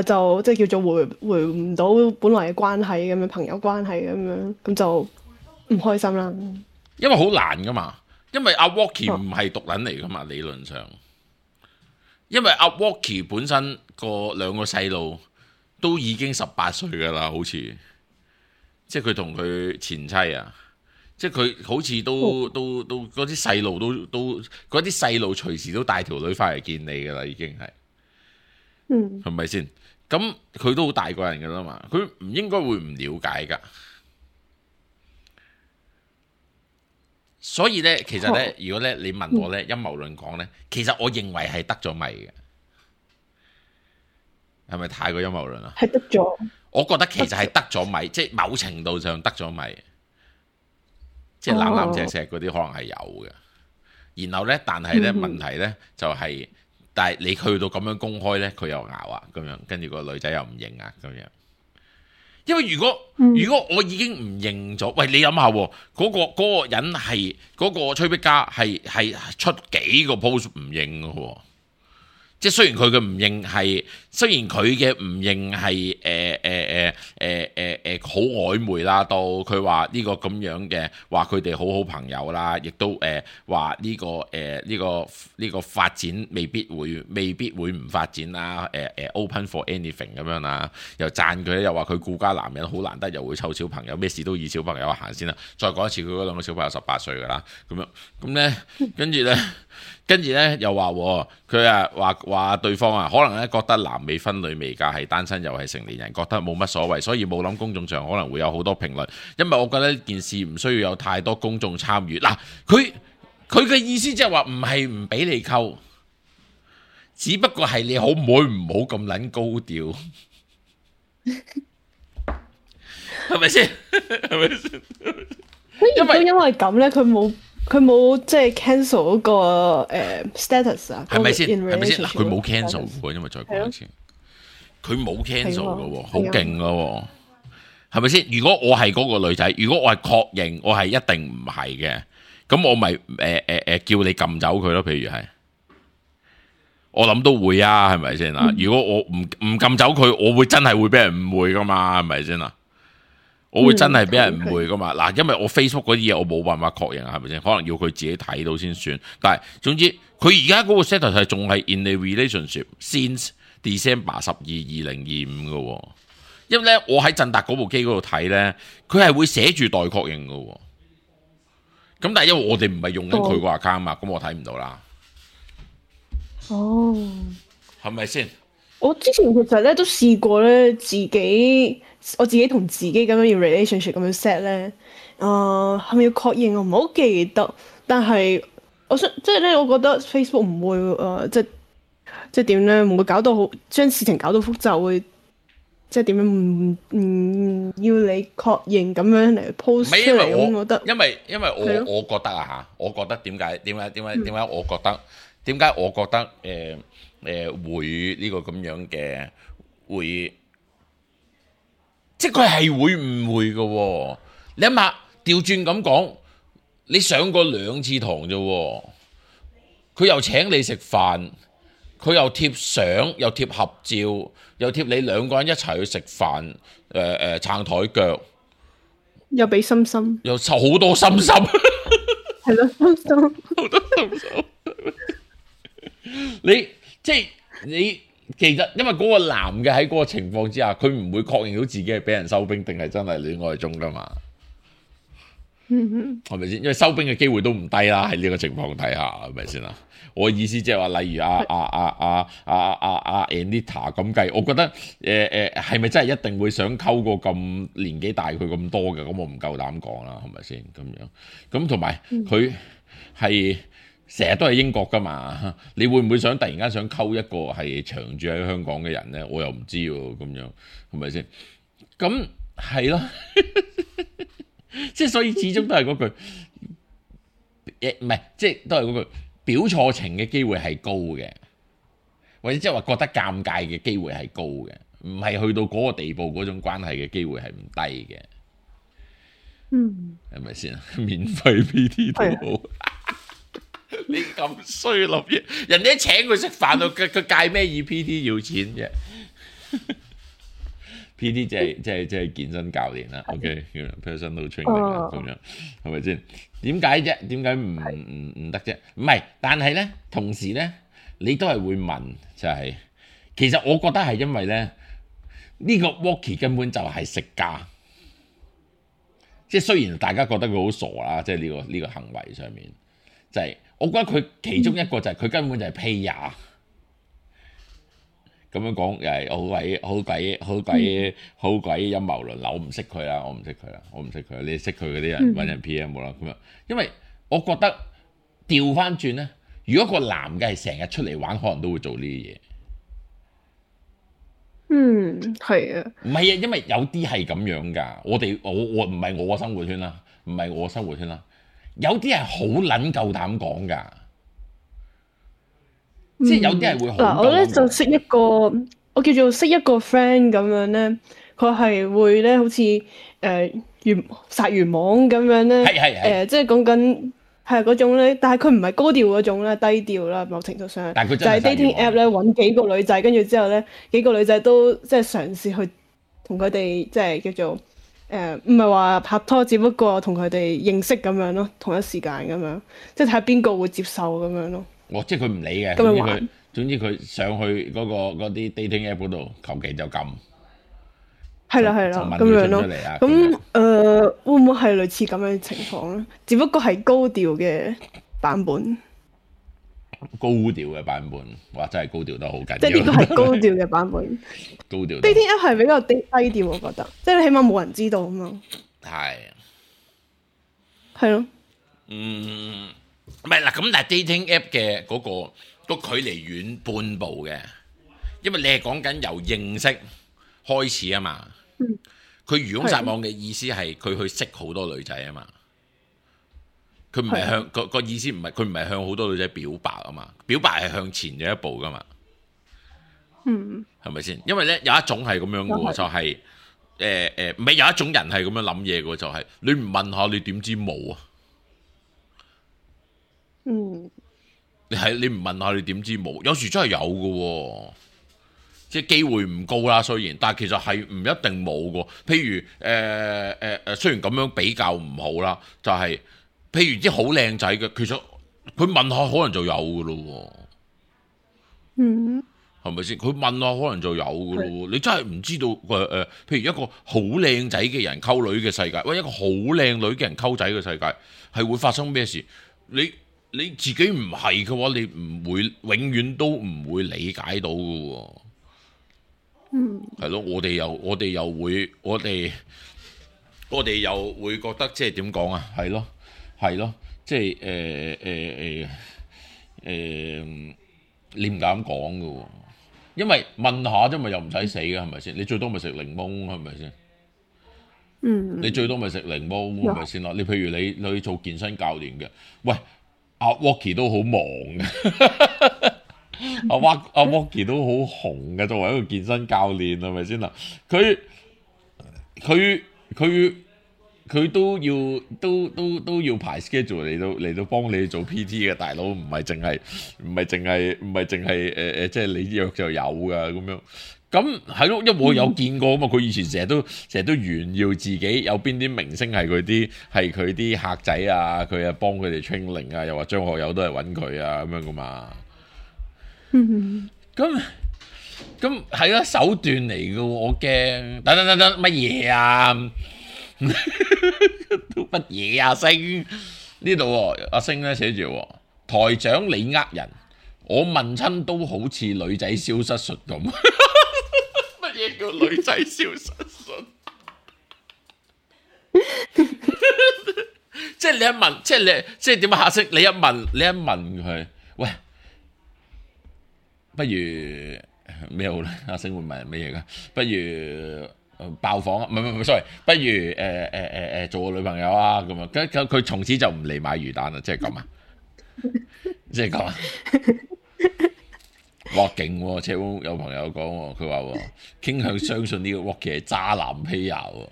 就即係叫做回唔到本來嘅關係咁樣，朋友關係咁樣，咁就唔開心啦。因為好難噶嘛，因為阿 Walkie 唔係毒撚嚟噶嘛，理論上，因為阿 Walkie 本身個兩個細路都已經18歲噶啦，好似，即係佢同佢前妻啊，即係佢好似都嗰啲細路都嗰啲細路隨時都帶條女翻嚟見你噶啦，已經係，係咪先？咁佢都好大個人噶啦嘛，佢唔應該會唔了解噶。所以咧，其實咧，如果咧你問我咧，陰謀論講咧，其實我認為係得咗米嘅，係咪太過陰謀論啊？係得咗。我覺得其實係得咗米，即係某程度上得咗米，即係攬攬錫錫嗰啲可能係有嘅。然後咧，但係咧問題咧就係，但係你去到咁樣公開咧，佢又拗啊咁樣，跟住個女仔又唔認啊咁樣。因為如果我已經唔認咗，喂，你諗下喎，嗰個人係嗰個崔碧嘉係出幾個 post 唔認嘅喎，即係雖然佢嘅唔認係，雖然佢嘅唔認係好曖昧啦，到佢話呢個咁樣嘅話佢哋好好朋友啦，亦都話呢個發展未必會唔發展啦，open for anything 咁樣啦，又讚佢，又話佢顧家男人好難得，又會湊小朋友，咩事都以小朋友行先啦。再講一次，佢嗰兩個小朋友18歲㗎啦，咁樣咁咧，跟住咧跟住咧又話喎佢話對方可能咧覺得男未婚女未嫁係單身又係成年人，覺得冇乜所謂，所以冇諗公眾上可能會有好多評論，因為我覺得呢件事唔需要有太多公眾參與。嗱，佢嘅意思即係話唔係唔俾你溝，只不過係你可唔可以唔好咁撚高調，係咪先？係咪先？因為咁咧，佢冇即係 cancel 嗰個status 啊，係咪先？係咪先？嗱，佢冇 cancel 喎，因為再講一次，佢冇 cancel 嘅喎，好勁嘅喎，係咪先？如果我係嗰個女仔，如果我係確認我係一定唔係嘅，咁我咪叫你撳走佢咯。譬如係，我諗都會啊，係咪先啊？如果我唔撳走佢，我會真係會俾人誤會噶嘛，係咪先啊？我會真係俾人誤會噶嘛？嗱，因為我 Facebook 嗰啲嘢我冇辦法確認啊，係咪先？可能要佢自己睇到先算。但係總之，佢而家嗰個 status 係仲係 in a relationship since December 12、2025嘅喎。因為咧，我喺振達嗰部機嗰度睇咧，佢係會寫住待確認嘅喎。咁但係因為我哋唔係用緊佢個 account 嘛，咁我睇唔到啦。哦，係咪先？我之前其實咧都試過咧，我自己同自己咁樣要 relationship 咁樣 set 咧，係咪要確認？我唔係好記得，但係我想即係咧，我覺得 Facebook 唔會即係點咧，唔會搞到好將事情搞到複雜，會即係點樣唔要你確認咁樣嚟 post 出嚟咁，我覺得因為我覺得啊嚇，我覺得點解我覺得會呢個咁樣嘅會。即係佢係會誤會嘅喎，你諗下調轉咁講，你上過2次堂啫喎，佢又請你食飯，佢又貼相，又貼合照，又貼你2個人一齊去食飯，撐台腳，又俾心心，又好多心心，係咯心心，好多心心，你。其實因為嗰個男嘅喺嗰個情況之下，佢唔會確認到自己係俾人收兵定係真係戀愛中噶嘛，係咪先？因為收兵嘅機會都唔低啦，喺呢個情況底下，係咪先啊？我意思即係話，例如Anita 咁計，我覺得係咪真係一定會想溝個咁年紀大佢咁多嘅？咁我唔夠膽講啦，係咪先咁樣？咁同埋佢係。成日都係英國噶嘛，你會唔會想突然間想溝一個係長住喺香港嘅人咧？我又唔知喎，咁樣係咪先？咁係咯，即係所以始終都係嗰句，唔係即係都係嗰句，表錯情嘅機會係高嘅，或者即係話覺得尷尬嘅機會係高嘅，唔係去到嗰個地步嗰種關係嘅機會係唔低嘅。係咪先？免費 PT 都好。你咁衰諗嘢，人哋請佢食飯咯，佢介咩以 PT 要錢啫？PT 即係健身教練啦，OK，personal training 咁樣，係咪先？點解啫？點解唔得啫？唔係，但係咧，同時咧，你都係會問，就係其實我覺得係因為咧，呢個 Walkie 根本就係食家，即係雖然大家覺得佢好傻啦，即係呢個行為上面，就係。我覺得佢其中一個就係佢根本就係 player，咁樣講又係好鬼陰謀論。我唔識佢啦，你識佢嗰啲人揾人 PM 冇啦咁樣。因為我覺得調翻轉咧，如果個男嘅係成日出嚟玩，可能都會做呢啲嘢。係啊。唔係啊，因為有啲係咁樣㗎。我唔係我嘅生活圈啦，有啲係好撚夠膽講㗎，即係有啲係會好。嗱，我咧就識一個，我叫做識一個 friend 咁樣咧，佢係會咧好似殺魚網咁樣咧，即係講緊係嗰種咧，但係佢唔係高調嗰種啦，低調啦，某程度上。但係佢就係 dating app 咧揾幾個女仔，跟住之後咧幾個女仔都即係嘗試去同佢哋即係叫做。唔係話拍拖，只不過同佢哋認識咁樣咯，同一時間咁樣，即係睇下邊個會接受咁樣咯。即係佢唔理嘅，總之佢上去嗰啲 dating app 嗰度，求其就撳。係啦，咁樣咯。咁會唔會係類似咁樣嘅情況咧？只不過係高調嘅版本。高調嘅版本，哇！真係高調得好緊要。即係呢個係高調嘅版本。高調。dating app 係比較低調，我覺得，即係你起碼冇人知道啊嘛。係。係咯。唔係啦，咁但係 dating app 嘅嗰個距離遠半步嘅，因為你係講緊由認識開始啊嘛。佢漁翁撒網嘅意思係佢去識好多女仔啊嘛。佢唔係向個意思唔係佢唔係向好多女仔表白啊嘛，表白係向前嘅一步噶嘛。係咪先？因為咧有一種係咁樣嘅喎，就係唔係有一種人係咁樣諗嘢嘅喎，就係你唔問下你點知冇啊？你唔問下你點知冇？有時真係有嘅喎，即係機會唔高啦。雖然，但係其實係唔一定冇嘅。譬如雖然咁樣比較唔好啦，就係譬如啲好靚仔嘅，其實佢問下可能就有嘅咯喎。係咪先？佢問下可能就有嘅咯喎。你真係唔知道譬如一個好靚仔嘅人溝女嘅世界，喂，一個好靚女嘅人溝仔嘅世界，係會發生咩事？你自己唔係嘅話，你唔會永遠都唔會理解到嘅喎。係咯，我哋又會覺得即係點講啊？係咯，即係你唔敢講嘅喎，因為問下啫嘛，又唔使死嘅，係咪先？你最多咪食檸檬，係咪先？你最多咪食檸檬，係咪先啦？你譬如你去做健身教練嘅，喂。阿 Walkie 都好忙嘅，阿 Walkie 都好紅嘅，作為一個健身教練係咪先啦？佢都要排 schedule 嚟到幫你做 PT 嘅，大佬唔係淨係即係你約就有㗎咁樣。咁係咯，因為我有見過啊嘛，佢以前成日都炫耀自己有邊啲明星係佢啲客仔啊，佢啊幫佢哋 training 啊，又話張學友都係揾佢啊咁樣噶嘛。咁係咯，手段嚟嘅喎，我驚。等乜嘢啊？都乜嘢啊？星呢度阿星咧寫住台長你呃人，我問親都好似女仔消失術咁。乜叫女仔消失術？即係你一問，即係點啊？下星你一問佢，喂，不如咩好咧？阿星會問咩嘢噶？不如爆房啊？唔係 sorry， 不如做我女朋友啊？咁啊，佢從此就唔嚟買魚蛋啦，即係咁啊？即係咁啊？哇勁喎！車屋有朋友講，佢話傾向相信呢個 Walkie 係渣男披牙喎。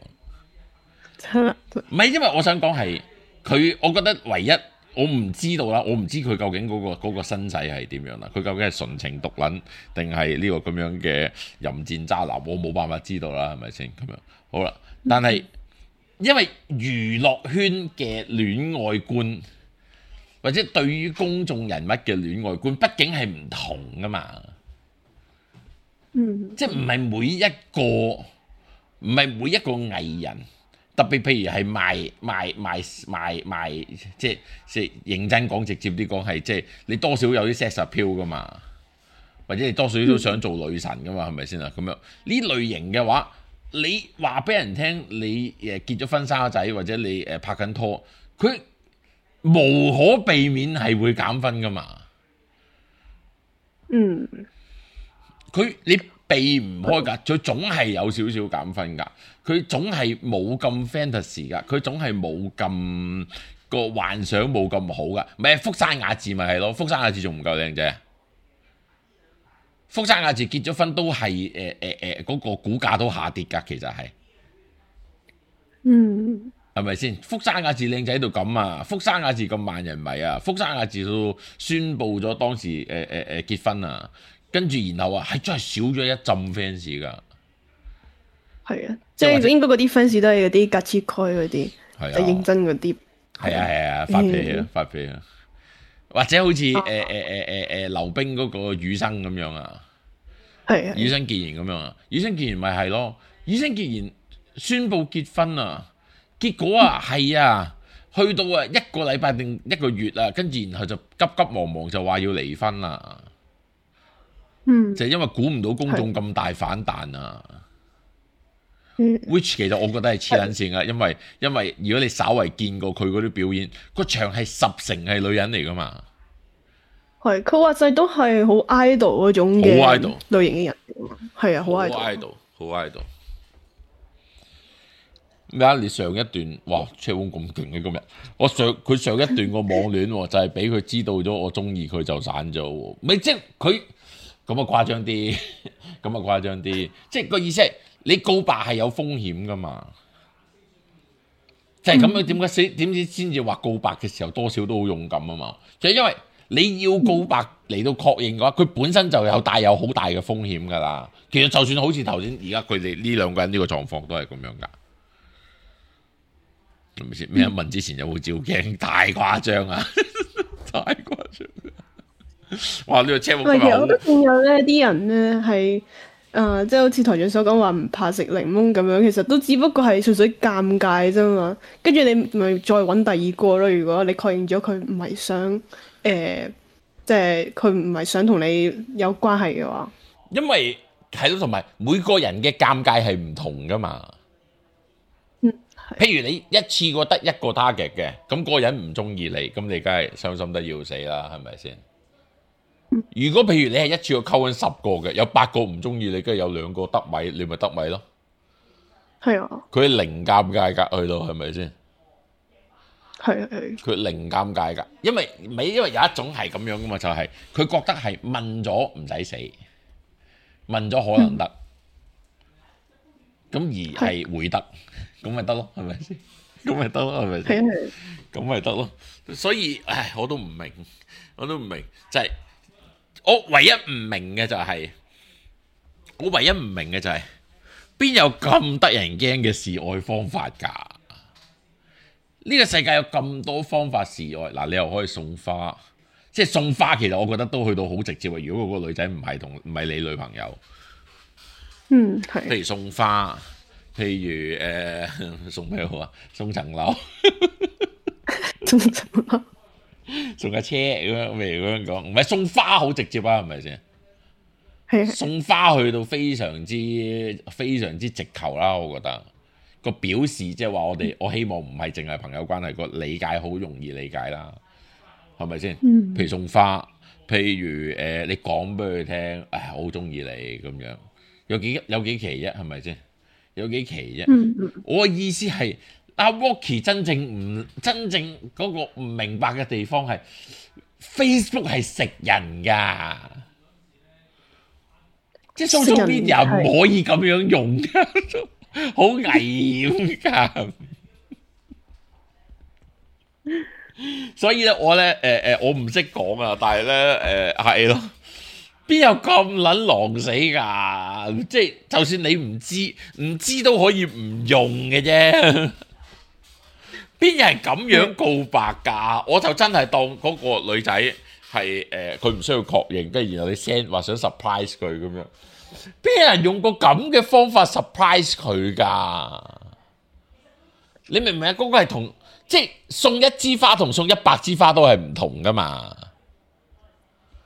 唔係，因為我想講係佢，我覺得唯一我唔知道啦，我唔知佢究竟嗰個身世係點樣啦。佢究竟係純情毒撚定係呢個咁樣嘅淫賤渣男？我冇辦法知道啦，係咪先咁樣？好啦，但係因為娛樂圈嘅戀愛觀，或者對於公眾人物嘅戀愛觀，畢竟係唔同噶嘛。即係唔係每一個藝人，特別譬如係賣，即係認真講，直接啲講係，即係你多少有啲 sex appeal 噶嘛，或者你多少都想做女神噶嘛，係咪先啊？咁樣呢類型嘅話，你話俾人聽，你結咗婚生咗仔，或者你拍緊拖，佢無可避免係會減分噶嘛。你避唔開㗎，佢總係有少少減分㗎，佢總係冇咁 fantasy 㗎，佢總係冇咁個幻想冇咁好㗎。咪福山雅治咪係咯，福山雅治仲唔夠靚仔？福山雅治結咗婚都係嗰個股價都下跌㗎，其實係。係咪先？福山雅治靚仔到咁啊！福山雅治咁萬人迷啊！福山雅治到宣佈咗當時結婚啊！跟住然後係真係少咗一陣 fans 噶，係啊，即係應該嗰啲 fans 都係嗰啲格切開嗰啲，就認真嗰啲，係啊，發脾啊，或者好似溜冰嗰個羽生咁樣啊，係羽生結弦咁樣啊，羽生結弦咪係咯，羽生結弦宣佈結婚啊，結果啊係啊，去到一個禮拜定一個月啊，跟住然後就急急忙忙就話要離婚啦。就係因為估唔到公眾咁大反彈啊。which 其實我覺得係黐撚線噶，因為如果你稍為見過佢嗰啲表演，個場係10成係女人嚟噶嘛。係佢話就都係好 idol 嗰種嘅好 idol 類型嘅人，係啊，好好 idol。好 idol。咩啊？你上一段哇 c h 咁勁嘅今日，佢上一段個網戀喎，就係俾佢知道咗我中意佢就散咗喎。咪即係佢咁啊誇張啲，咁啊誇張啲，即係個意思係你告白係有風險噶嘛。就係咁樣，點知先至話告白嘅時候多少都好勇敢啊嘛？就係因為你要告白嚟到確認嘅話，佢本身就帶有好大嘅風險噶啦。其實就算好似頭先而家佢哋呢兩個人呢個狀況都係咁樣噶。係咪先？咩問之前有冇照鏡？太誇張啊！太誇張！哇！呢個車冇。其實我都見有咧啲人咧係即係好似台長所講話唔怕食檸檬咁樣，其實都只不過係純粹尷尬啫嘛。跟住你咪再揾第二個咯。如果你確認咗佢唔係想即係佢唔係想同你有關係嘅話，因為係咯，同埋每個人嘅尷尬係唔同噶嘛。譬如你一次過得一個 target 嘅，咁嗰個人唔中意你，咁你梗係傷心得要死啦，係咪先？如果譬如你係一次過溝緊10個嘅，有8個唔中意你，跟住有2個得米，你咪得米咯。係啊，佢零尷尬㗎，去到係咪先？係。佢零尷尬㗎，因為有一種係咁樣㗎嘛，就係佢覺得係問咗唔使死，問咗可能得，咁而係會得。咁咪得咯，係咪先？咁咪得咯，係咪先？咁咪得咯。所以，唉，我都唔明，就係我唯一唔明嘅就係，邊有咁得人驚嘅示愛方法㗎？呢個世界有咁多方法示愛，嗱，你又可以送花，即係送花，其實我覺得都去到好直接啊。如果嗰個女仔唔係你女朋友，係。譬如送花。譬如送咩好啊？送層樓，送架車咁樣，譬如咁樣講，唔係送花好直接啊，係咪先？係送花去到非常之直球啦，我覺得個表示即係話我希望唔係淨係朋友關係，個理解好容易理解啦，係咪先？譬如送花，譬如你講俾佢聽，唉，我好中意你咁樣，有幾期啫，係咪先？有幾期啫？我嘅意思係阿 Rocky 真正嗰個唔明白嘅地方係 Facebook 係食人㗎，即係 social media 唔可以咁樣用㗎，好危險㗎。所以咧，我唔識講啊，但係咧係咯。邊有咁撚狼死㗎？即係就算你唔知都可以唔用嘅啫。邊有人咁樣告白㗎？我就真係當嗰個女仔係佢唔需要確認，跟住然後你 send 話想 surprise 佢咁樣。邊有人用過咁嘅方法 surprise 佢㗎？你明唔明啊？嗰個係即係送一支花同送100支花都係唔同㗎嘛。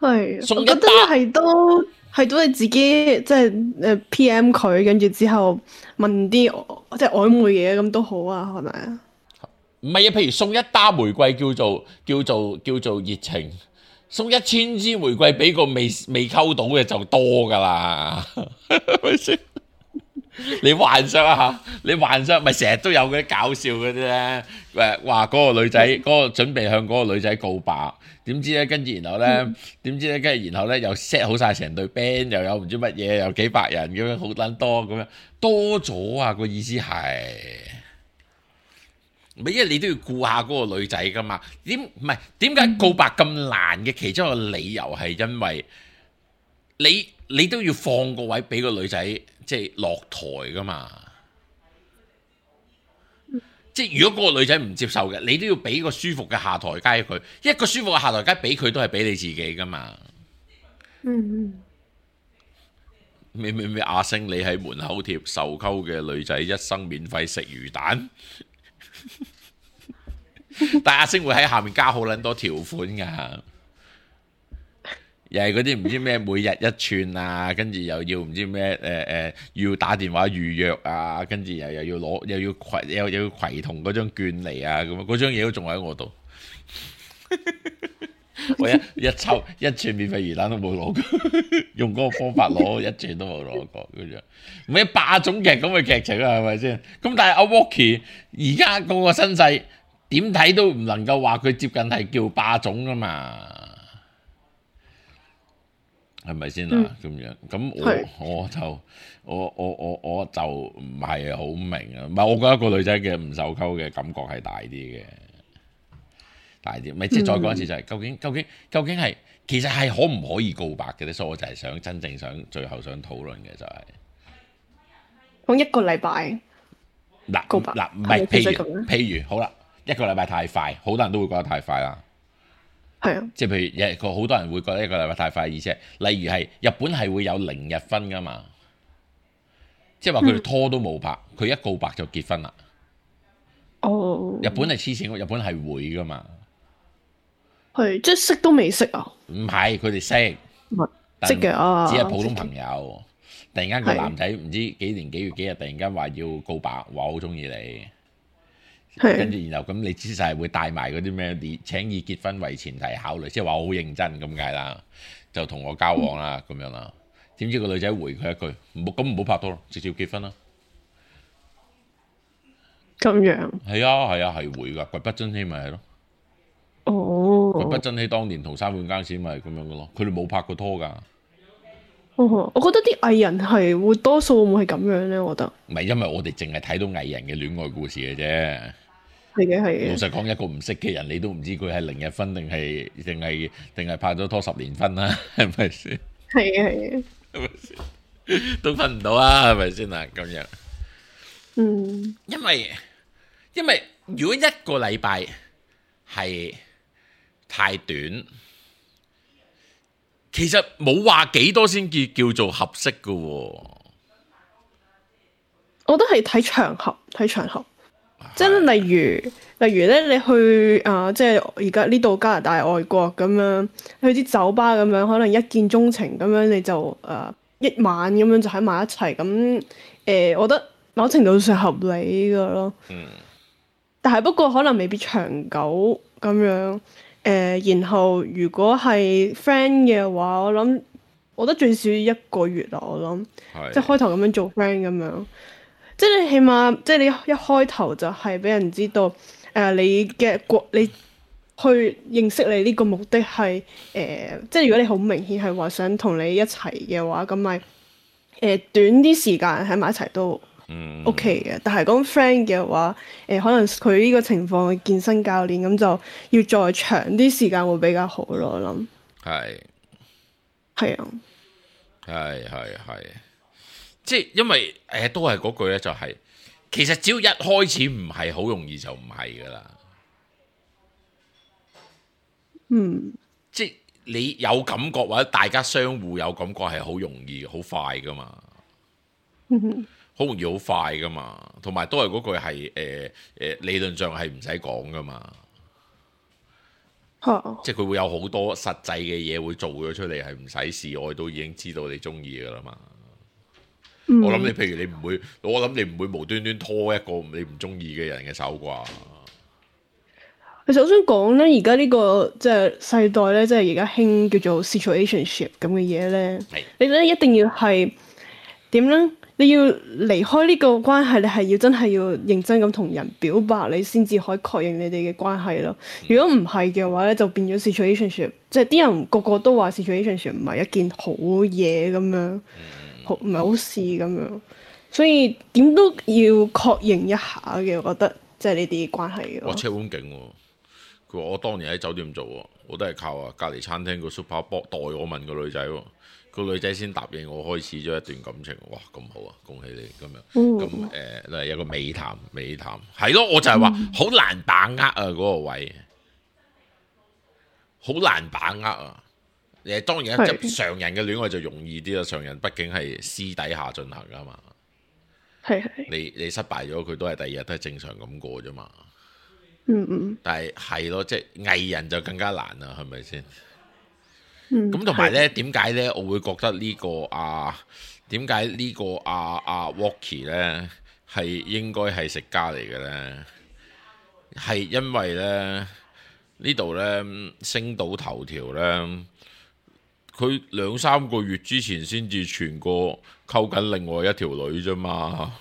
係，我覺得係都你自己即係PM 佢，跟住之後問啲即係曖昧嘢咁都好啊，係咪啊？唔係啊，譬如送一打玫瑰叫做熱情，送1000支玫瑰俾個未溝到嘅就多噶啦，係咪先？你幻想咪成日都有嗰啲搞笑嗰啲咧，話嗰個女仔嗰個準備向嗰個女仔告白。點知咧？跟住然後咧，又 set 好晒成隊 band，又有唔知乜嘢，又幾百人咁樣，好撚多咁樣，多咗啊！個意思係，咪因為你都要顧下嗰個女仔噶嘛？點解告白咁難嘅？其中一個理由係因為你都要放個位俾個女仔即係落台噶嘛。即係如果嗰個女仔唔接受嘅，你都要俾個舒服嘅下台階佢。一個舒服嘅下台階俾佢都係俾你自己噶嘛。咩阿星你喺門口貼受溝嘅女仔一生免費食魚蛋，但阿星會喺下面加好撚多條款㗎。又係嗰啲唔知咩每日一串啊，跟住又要唔知咩要打電話預約啊，跟住又要攞又要攜同嗰張券嚟啊，咁嗰張嘢都仲喺我度。我一抽一串免費魚蛋都冇攞過，用嗰個方法攞一串都冇攞過咁樣，咩霸總劇咁嘅劇情啊，係咪先？咁但係阿 Walkie 而家嗰個身世點睇都唔能夠話佢接近係叫霸總㗎嘛？係咪先啊？咁樣咁我就唔係好明啊！唔係我覺得個女仔嘅唔受溝嘅感覺係大啲嘅，大啲。咪即係再講一次就係、究竟係其實係可唔可以告白嘅咧？所以我就係想真正想最後想討論嘅就係、講一個禮拜告白嗱唔係譬如好啦，一個禮拜太快，好多人都會覺得太快啦。係啊，即係譬如好多人會覺得一個禮拜太快，而且例如係日本係會有零日婚噶嘛，即係話佢哋拖都冇拍，佢一告白就結婚啦。哦，日本係黐線，日本係會噶嘛，係即係識都未識啊？唔係佢哋識嘅啊，只係普通朋友。突然間個男仔唔知幾年幾月幾日，突然間話要告白，話好中意你。跟住然後咁你知實係會帶埋嗰啲咩請以結婚為前提考慮，即係話好認真咁解啦，就同我交往啦咁樣啦。點知個女仔回佢一句唔好拍拖咯，直接結婚啦。咁樣係啊係會㗎，掘不珍惜咪係咯。哦，掘不珍惜當年同三碗耕錢咪係咁樣嘅咯，佢哋冇拍過拖㗎。我覺得啲藝人係會多數會係咁樣咧，我覺得。唔係因為我哋淨係睇到藝人嘅戀愛故事嘅啫。係嘅。老實講，一個唔識嘅人，你都唔知佢係零日婚定係拍咗拖10年婚啦，係咪先？係嘅。係咪先？都分唔到啊，係咪先啊？咁樣。因為如果一個禮拜係太短，其實冇話幾多先叫做合適㗎喎。我覺得係睇場合。即係例如咧，你去即係而家呢度加拿大外國咁樣，去啲酒吧咁樣，可能一見鍾情咁樣，你就一晚咁樣就喺埋一齊咁。我覺得某程度上合理㗎咯。但係不過可能未必長久咁樣。然後如果係 friend 嘅話，我覺得最少1個月啦。我諗即係開頭咁樣做 friend 咁樣。即係你起碼，即係你一開頭就係俾人知道，你去認識你呢個目的係，即係如果你好明顯係話想同你一齊嘅話，咁咪短啲時間喺埋一齊都 OK 嘅。但係講 friend 嘅話，可能佢呢個情況嘅健身教練咁就要再長啲時間會比較好咯。我諗係啊，係。即係因為都係嗰句咧，就係其實只要一開始唔係好容易就唔係噶啦。即係你有感覺或者大家相互有感覺係好容易好快噶嘛。好容易好快噶嘛，同埋都係嗰句係理論上係唔使講噶嘛。即係佢會有好多實際嘅嘢會做咗出嚟，係唔使示愛都已經知道你中意噶啦嘛。我諗你譬如你唔會，我諗你唔會無端端拖一個你唔中意嘅人嘅手啩。其實我想講咧，而家呢個即係世代咧，即係而家興叫做 situationship 咁嘅嘢咧。你咧一定要係點咧？你要離開呢個關係，你係要真係要認真咁同人表白，你先至可以確認你哋嘅關係咯。如果唔係嘅話咧，就變咗 situationship，即係啲人個個都話 situationship 唔係一件好嘢咁樣。唔係好事咁樣，所以點都要確認一下嘅。我覺得即係呢啲關係嘅。車碗勁喎，佢話我當年喺酒店做喎，我都係靠隔離餐廳個 super boss 代我問個女仔喎，個女仔先答應我開始咗一段感情。哇，咁好啊，恭喜你咁樣。咁有個美談係咯，我就係話好難把握啊嗰個位，好難把握啊。當然即係常人嘅戀愛就容易啲啦，常人畢竟係私底下進行噶嘛。你失敗咗，佢都係第二日都係正常咁過啫嘛。但係咯，即係藝人就更加難啦，係咪先？咁嗯，同埋咧，點解咧我會覺得呢個點解呢個Walkie 咧係應該係食家嚟嘅咧？係因為咧呢度咧星島頭條咧，佢2-3個月之前先至傳過溝緊另外一條女啫嘛。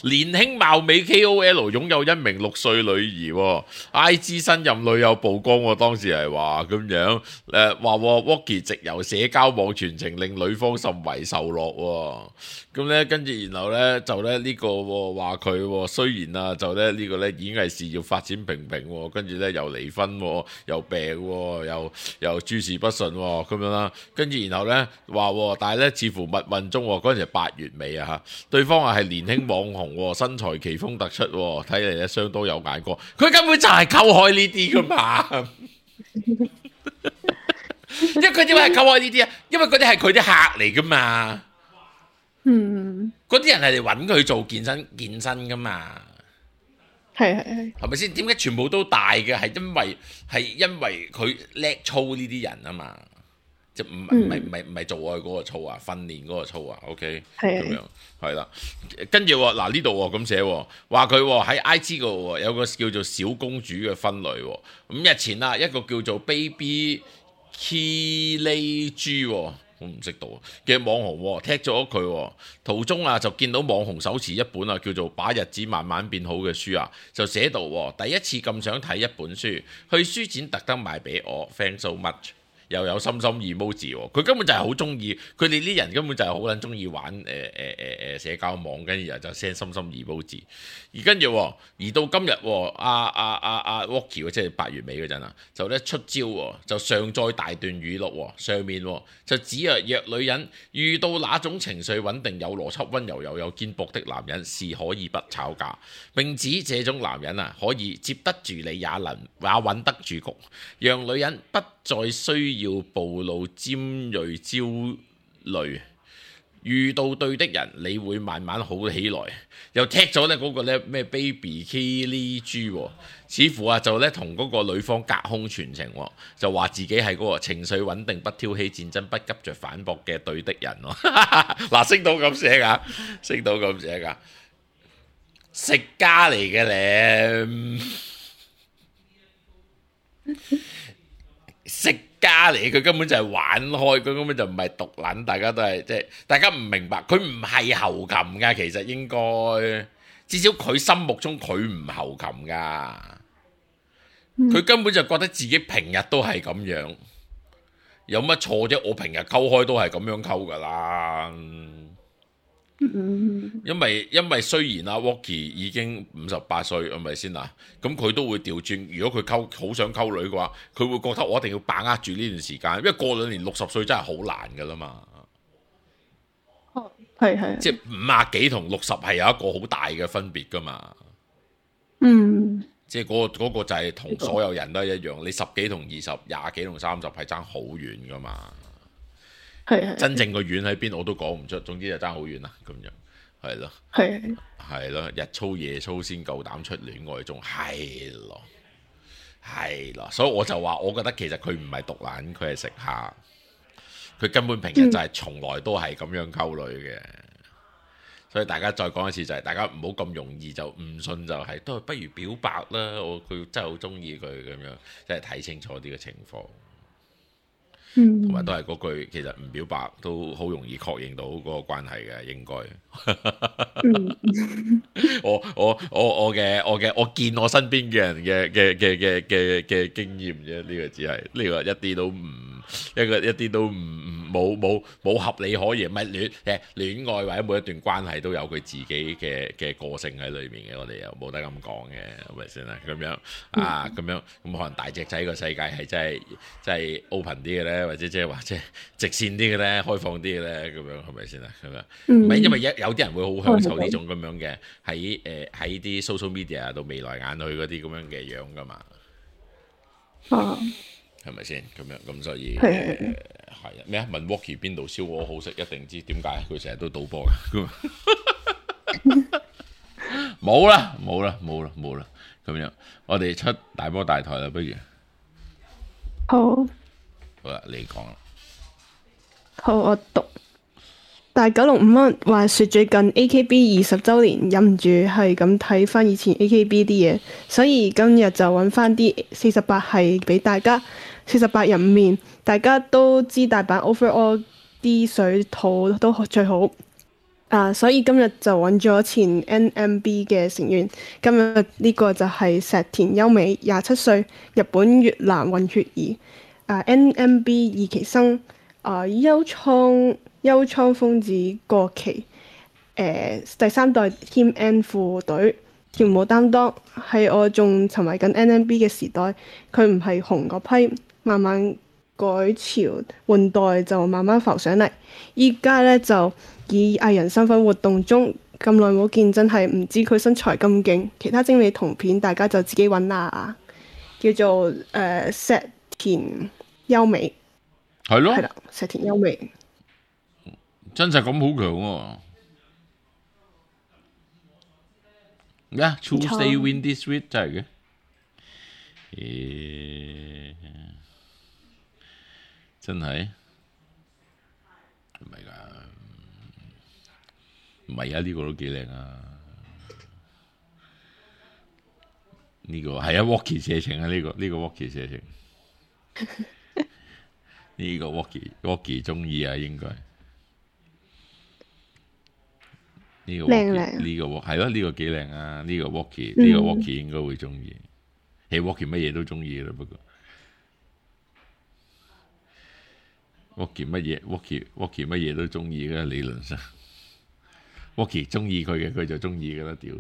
年輕貌美 KOL 擁有1名6歲女兒，IG 新任女友曝光喎，當時係話咁樣，話 Walkie 藉由社交網傳情令女方甚為受落喎，咁咧跟住然後咧就咧呢個話佢雖然就咧呢個咧演藝事業發展平平，跟住咧又離婚又病又諸事不順咁樣啦，跟住然後咧話但係咧似乎密運中嗰陣時係8月尾啊嚇，對方係年輕網紅。身材奇峰突出，睇嚟咧相當有眼光。佢根本就係溝開呢啲噶嘛，因為佢點解係溝開呢啲啊？因為嗰啲係佢啲客嚟噶嘛，嗰啲人係嚟揾佢做健身噶嘛，係咪先？點解全部都大嘅？係因為佢叻操呢啲人啊嘛。即唔係做愛嗰個操啊，訓練嗰個操啊，OK，咁樣係啦。跟住嗱呢度咁寫話佢喺 IG 度有個叫做小公主嘅分類。咁日前啦，一個叫做 Baby Kiley G， 我唔識讀嘅網紅踢咗佢，途中就見到網紅手持一本叫做《把日子慢慢變好》嘅書啊，就寫到第一次咁想睇一本書，去書展特登買俾我 ，thanks so much。又有心心 emoji 喎，佢根本就係好中意，佢哋啲人根本就係好撚中意玩社交網，跟住就 send 心心 emoji。而跟住而到今日Walkie 即係8月尾嗰陣就咧出招就上載大段語錄上面就指約女人遇到那種情緒穩定、有邏輯、溫柔又有肩膊的男人是可以不吵架，並指這種男人可以接得住你也穩得住局，讓女人不再需要暴露尖鋭焦慮，遇到對的人你會慢慢好起來。又踢咗咧嗰個咧咩 Baby Kiley G， 似乎就咧同嗰個女方隔空傳情，就話自己係嗰個情緒穩定、不挑起戰爭、不急着反駁嘅對的人嗱，星島咁寫噶，星島咁寫噶，食家嚟嘅咧。食家嚟，佢根本就係玩開，佢根本就唔係毒撚，大家都係即係，大家唔明白，佢唔係猴擒噶，其實應該至少佢心目中佢唔猴擒噶，佢根本就覺得自己平日都係咁樣，有乜錯啫？我平日溝開都係咁樣溝噶啦。因為雖然Walkie 已經58歲，係咪先啊？咁佢都會調轉，如果佢好想溝女嘅話，佢會覺得我一定要把握住呢段時間，因為過2年60歲真係好難噶啦嘛。係即係50幾同60係有一個好大嘅分別噶嘛。即係嗰個就係同所有人都係一樣，你10幾同20、20幾同30係爭好遠噶嘛。真正個遠喺邊我都講唔出，總之就爭好遠啦，咁樣係咯，係咯，日操夜操先夠膽出戀愛中，係咯，所以我就話，我覺得其實佢唔係毒撚，佢係食蝦，佢根本平日就係從來都係咁樣溝女嘅，所以大家再講一次就係，大家唔好咁容易就唔信就係，都係不如表白啦，佢真係好中意佢咁樣，即係睇清楚啲嘅情況。同埋都係嗰句，其實唔表白都好容易確認到嗰個關係嘅，應該。我見我身邊嘅人嘅經驗啫，呢個只係呢個一啲都唔冇合理可言，唔係戀愛或者每一段關係都有佢自己嘅個性喺裏面嘅，我哋又冇得咁講嘅，係咪先啊？咁樣咁樣咁可能大隻仔個世界係真係 open 啲嘅咧。或者即係話即係直線啲嘅咧，開放啲嘅咧，咁樣係咪先啊？咁樣唔係因為有啲人會好享受呢種咁樣嘅喺啲 social media 度眉來眼去嗰啲咁樣嘅樣噶嘛？係咪先咁樣？咁所以係啊咩啊？問 Walkie 邊度燒鵝好食，一定知點解佢成日都賭波嘅。冇啦，咁樣我哋出大波大台啦，不如好，好啦，你講啦。好，我讀。大九龍五蚊話説最近 AKB 20週年，忍唔住係咁睇翻以前 AKB 啲嘢，所以今日就揾翻啲48係俾大家。48入面，大家都知大阪 overall 啲水土都最好。所以今日就揾咗前 NMB 嘅成員。今日呢個就係石田優美，27歲，日本越南混血兒。NMB 二期生。優倉豐子過期。第3代 Team N 副隊跳舞擔當，係我仲沉迷緊 NMB 嘅時代，佢唔係紅嗰批，慢慢改朝換代就慢慢浮上嚟。依家咧就以藝人身份活動中，咁耐冇見，真係唔知佢身材咁勁。其他精美圖片大家就自己揾啦。叫做石田優美，係咯，係啦，石田優美真實感好強喎。Tuesday win this week 真係嘅。真係唔係㗎？唔係啊，呢個都幾靚啊！呢個係啊 ，Walkie 射程啊，呢個 Walkie 射程，呢個 Walkie 中意啊，應該。呢個靚呢個係咯，呢個幾靚啊！呢個 Walkie 應該會中意。Walkie 乜嘢都中意啦，不過 Walkie 乜嘢都中意嘅，理論上 Walkie 中意佢嘅，佢就中意噶啦，屌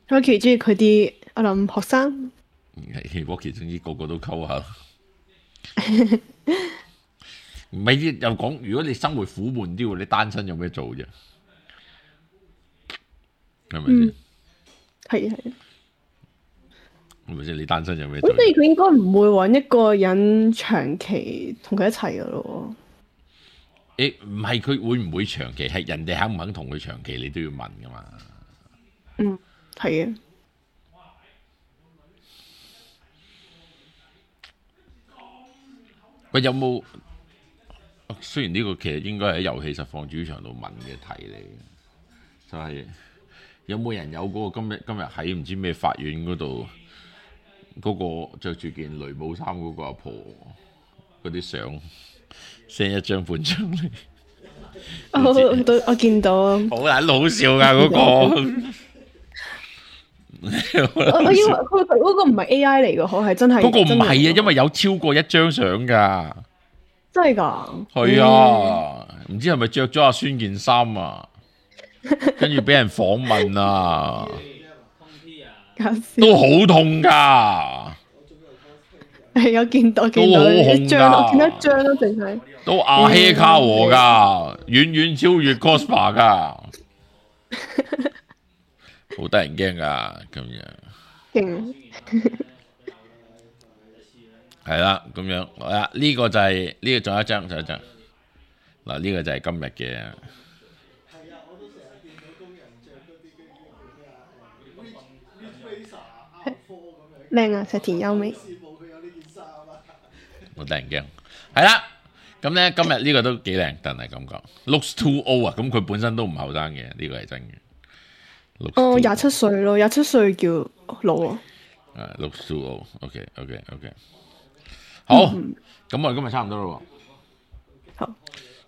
！Walkie 中意佢啲，我諗學生。Walkie 總之個個都溝下。唔係又講，如果你生活苦悶啲，你單身有咩做啫？係咪先？係啊。係咪先？你單身有咩做？咁所以佢應該唔會揾一個人長期同佢一齊噶咯。唔係佢會唔會長期，係人哋肯唔肯同佢長期，你都要問噶嘛。係啊。喂，有冇？雖然呢個其實應該係喺遊戲實況主場度問嘅題嚟嘅，就係有冇人有嗰個今日喺唔知咩法院嗰度嗰個着住件雷姆衫嗰個阿婆嗰啲相 send 一張半張嚟。我見到啊，好撚好笑噶嗰個。我以為佢嗰個唔係 AI 嚟嘅，可係真係。嗰個唔係啊，因為有超過一張相噶。真係㗎？係啊，唔知係咪着咗阿孫件衫啊？跟住俾人訪問啊，都好痛噶。係有見到，都好控㗎。我見到一張咯，淨係。都阿希卡和噶，遠遠超越 Cospa 噶，好得人驚噶咁樣。勁。係啦，咁樣啊，呢個就係呢個，仲有一張，嗱，呢個就係今日嘅。靚啊，石田優美。好得人驚。係啦，咁咧今日呢個都幾靚，但係咁講 looks too old 啊，咁佢本身都唔後生嘅，呢個係真嘅。27歲咯，27歲叫老啊。looks too old。OK。好，咁我哋今日差唔多啦喎。好。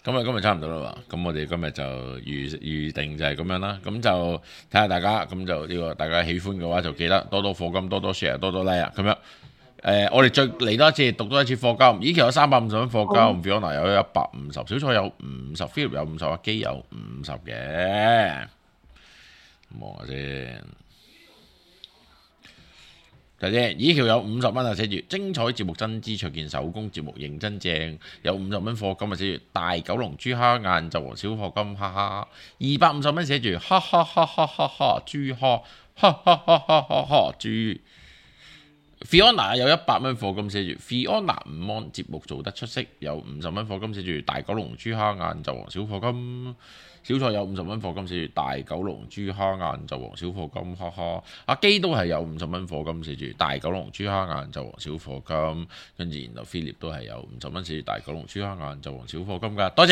咁啊，今日差唔多啦喎。咁我哋今日就預定就係咁樣啦。咁就睇下大家，咁就呢個大家喜歡嘅話，就記得多多課金，多多 share，多多 like 啊。咁樣，我哋再嚟多一次，讀多一次課金。以前有350蚊課金，Fiona 有150，小蔡有50，Philip 有50，阿基有50嘅。望下先。睇先，依條有50蚊啊，寫住精彩節目真知灼見，手工節目認真正，有50蚊課金啊，寫住大九龍豬蝦晏晝和小課金，哈哈，250蚊寫住哈哈哈哈哈哈豬蝦，哈哈哈哈哈哈豬 Fiona 有100蚊課金寫住 Fiona 5安節目做得出色，有50蚊課金寫住大九龍豬蝦晏晝黃小課金。小蔡有50蚊課金寫住大九龍豬蝦晏晝黃小課金，哈哈。阿基都係有50蚊課金寫住大九龍豬蝦晏晝黃小課金，跟住然後 Philip 都係有50蚊寫住大九龍豬蝦晏晝黃小課金㗎，多謝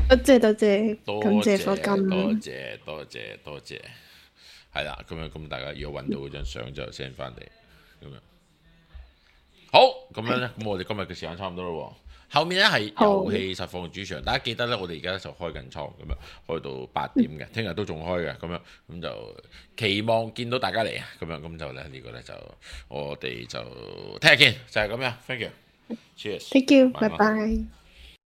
多謝多謝，感謝課金，多謝，係啦，咁樣咁大家如果揾到嗰張相就 send 翻嚟，咁樣好，咁樣咧，咁我哋今日嘅時間差唔多啦喎。後面咧係遊戲實況主場，大家記得咧，我哋而家就開緊倉咁樣，開到8點嘅，聽日都仲開嘅，咁樣咁就期望見到大家嚟啊，咁樣咁就咧呢個咧就我哋就聽日見，就係咁樣 ，thank you，cheers， thank you，拜拜。